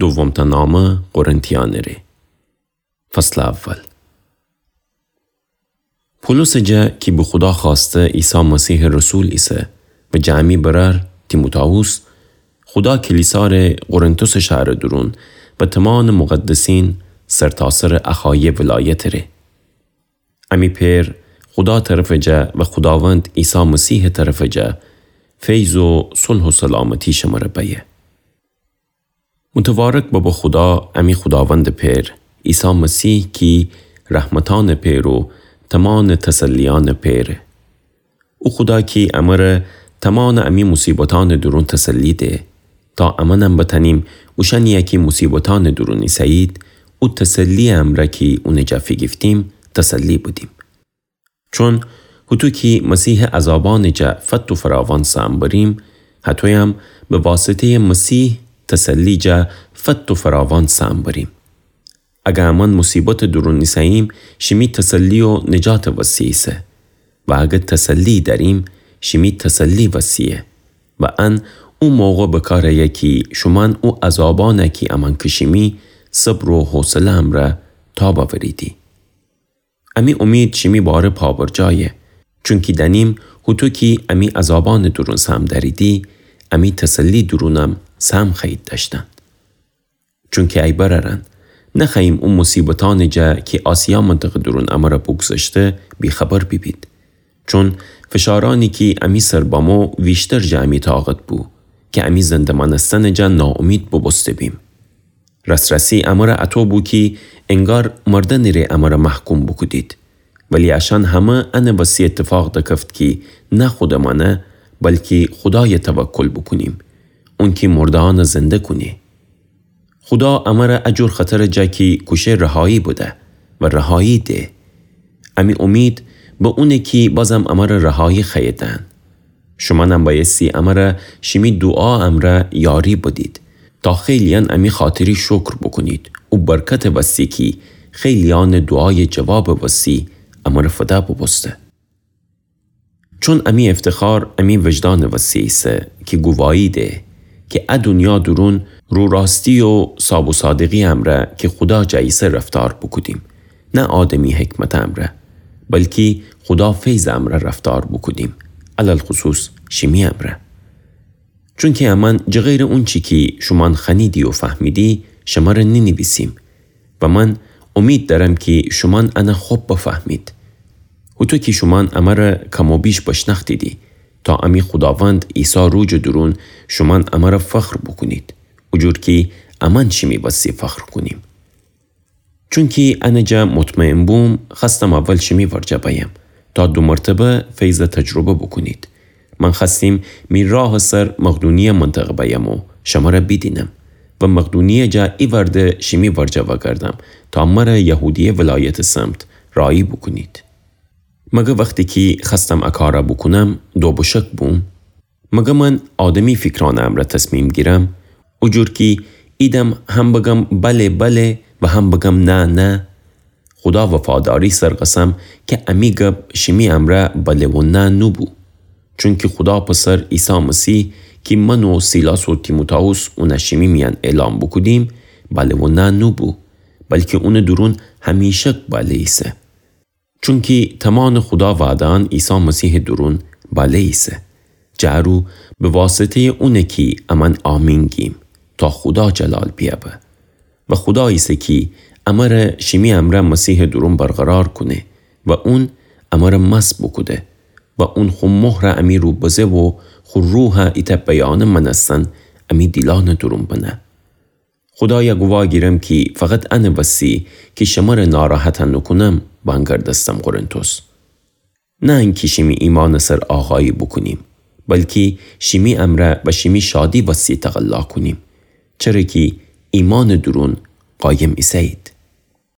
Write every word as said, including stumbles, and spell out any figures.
دومتأ نامه قرنتیأنٚ ره. فصلٚ اول. پولوسٚ جا کی به خودا خوأسته عیسی مسیحٚ رسول ایسه و جٚه امی برأر تیموتائوس، خودا کلیسا ره قرنتوسٚ شهرٚ دورون و تومانٚ مقدسین سرتاسرٚ اخایه ولایتٚ ره. امی پئر خودا طرفٚ جا و خوداوند عیسی مسیحٚ طرفٚ جا فیض و صلح و سلامتی شمره بأیه. متبارک ببه خودا، امی خوداوندٚ پئر، عیسی مسیح کی رحمتأنٚ پئر و تومانٚ تسلیأنٚ پئره. او خودا کی امره تومانٚ امی مصیبتأنٚ دورون تسلی ده، تا امأنم بتأنیم اوشأنیی کی مصیبتأنٚ دورون ایسه‌یید، او تسلییٚ امرأ کی اونٚ جا فیگیفتیم، تسلی بدیم. چون هوطو کی مسیحٚ عذابأنٚ جا فت و فراوان سهم بریم، هطویم به واسطه‌یٚ مسیح تسلی جا فت و فراوان سهم بریم. اگر امأن مصیبتٚ دورون ایسه‌ییم، شیمی تسلی و نجاتٚ وستی ایسه. و اگر تسلی دأریم، شیمی تسلی وستیه. و ان او موقع بکار ایه کی شومأن او عذابأنَ کی امأن کشیمی، صبر و حوصله امرأ تاب اوریدی. امی امید شیمی باره پابرجایه، چونکی دأنیم هوطو کی امی عذابأنٚ دورون سهم دأریدی، امی تسلییٚ دورونم سهم خوأیید دأشتن. چونکی ای برأرأن، نخوأییم او مصیبتأنٚ جا کی آسیا منطقه دورون امرأ بوگذشته، بی‌خبر بیبید. چون فشارأنی کی امی سر بمو ویشتر جٚه امی طاقت بو، کی امی زنده مأنستنٚ جا ناامید بوبوسته بیم. رسرسی امرأ اطو بو کی انگار مردنٚ ره امرأ محکوم بوکودید. ولی اشأن همه انٚ وستی اتفاق دکفت کی نه خودٚ مأنه، بلکی خودایَ توکل بوکونیم، اونکی مرده‌یأنَ زنده کونه. خودا امرأ ا جور خطرٚ جا کی کوشه رهایی بده و رهایی ده. امی امید به اونه کی بازم امرأ رهایی خوأیه دهن. شومأنم بأیستی امرأ شیمی دوعا امرأ یاری بدید، تا خیلییأن امی خاطری شکر بوکونید او برکتٚ وستی کی خیلییأنٚ دوعایٚ جوابٚ وستی امرأ فده بوبوسته. چون امی افتخار امی وجدانٚ وستی ایسه کی گوواهی ده کی ا دونیا دورون رو راستی و صاب و صادقی امرأ کی خودا جا ایسه رفتار بوکودیم، نه آدمی حکمتٚ امرأ، بلکی خودا فیضٚ امرأ رفتار بوکودیم، علی‌الخصوص شیمی امرأ. چونکی امأن جٚه غیرٚ اونچی کی شومأن خوأنیدی و فهمیدی، شمره نینیویسیم. و من امید دأرم کی شومأن انَ خب بفهمید. هوطو کی شومأن امرأ کم و بیش بشنأختیدی، تا امی خوداوند عیسی روجٚ دورون شومأن امرأ فخر بوکونید، او جور کی امأن شیمی وستی فخر کونیم. چونکی انٚ جا مطمئن بوم، خوأستم اول شیمی ورجه بأیم، تا دو مرتبه فیضَ تجربه بوکونید. من خوأستیم می راهٚ سر مقدونیه منطقه بأیم و شمره بیدینم و مقدونیه جا ایوأرده شیمی ورجه وأگردم، تا مره یهودیه ولایتٚ سمت راهی بوکونید. مگر وختی کی خوأستم ا کارَ بوکونم، دوبشک بوم؟ مگر من آدمی فیکرأنٚ امرأ تصمیم گیرم، او جور کی ایدم هم بگم بله بله و هم بگم نه نه؟ خودا وفاداری سر قسم کی امی گب شیمی امرأ بله و نه نوبو. چونکی خودا پسر عیسی مسیح کی من و سیلاس و تیموتائوس اونَ شیمی میأن اعلام بوکودیم، بله و نه نوبو، بلکی اونٚ دورون همیشک بله ایسه. چونکی تومانٚ خودا وعده‌یأن عیسی مسیحٚ دورون بله ایسه. جٚه ا رو به واسطه‌یٚ اونه کی امأن آمین گیم، تا خودا جلال بیأبه. و خودا ایسه کی امره شیمی امرأ مسیحٚ دورون برقرار کونه و اون امره مسح بوکوده و اون خو مهرَ امی رو بزه و خو روحَ ایتأ بیانه مأنستن امی دیلأنٚ دورون بنه. خودایَ گووا گیرم کی فقط انٚ وستی کی شمره ناراحت نوکونم وأنگردستم قرنتوس. نه انکی شیمی ایمانٚ سر آقایی بوکونیم، بلکی شیمی امرأ و شیمی شادی وستی تقلا کونیم، چره کی ایمانٚ دورون قایم ایسه‌یید.